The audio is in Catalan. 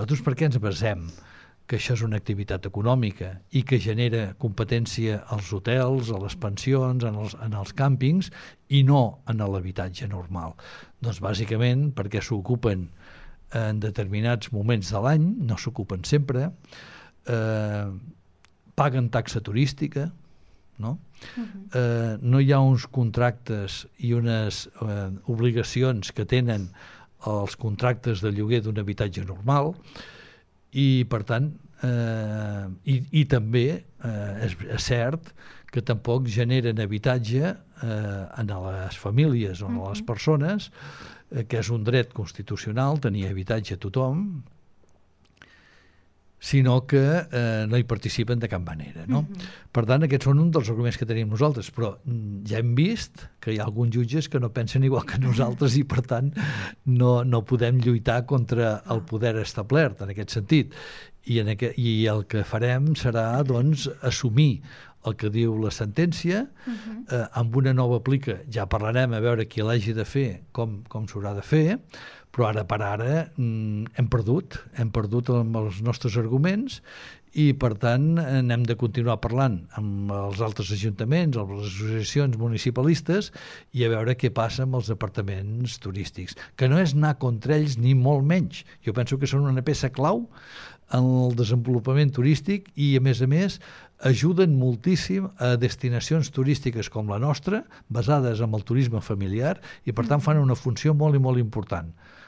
Nosaltres per què ens basem que això és una activitat econòmica i que genera competència als hotels, a les pensions, en els càmpings i no en l'habitatge normal? Doncs bàsicament perquè s'ocupen en determinats moments de l'any, no s'ocupen sempre, paguen taxa turística, no? No hi ha uns contractes i unes obligacions que tenen els contractes de lloguer d'un habitatge normal, i per tant i també és cert que tampoc generen habitatge en les famílies o en les persones, que és un dret constitucional tenir habitatge a tothom, sinó que no hi participen de cap manera, no? Per tant, aquests són un dels arguments que tenim nosaltres, però ja hem vist que hi ha alguns jutges que no pensen igual que nosaltres i, per tant, no podem lluitar contra el poder establert en aquest sentit. I el que farem serà, doncs, assumir el que diu la sentència, amb una nova plica. Ja parlarem a veure qui l'hagi de fer, com s'haurà de fer, però ara per ara hem perdut amb els nostres arguments i, per tant, n'hem de continuar parlant amb els altres ajuntaments, amb les associacions municipalistes i a veure què passa amb els departaments turístics, que no és anar contra ells ni molt menys. Jo penso que són una peça clau en el desenvolupament turístic i, a més, ajuden moltíssim a destinacions turístiques com la nostra, basades en el turisme familiar, i per tant fan una funció molt i molt important.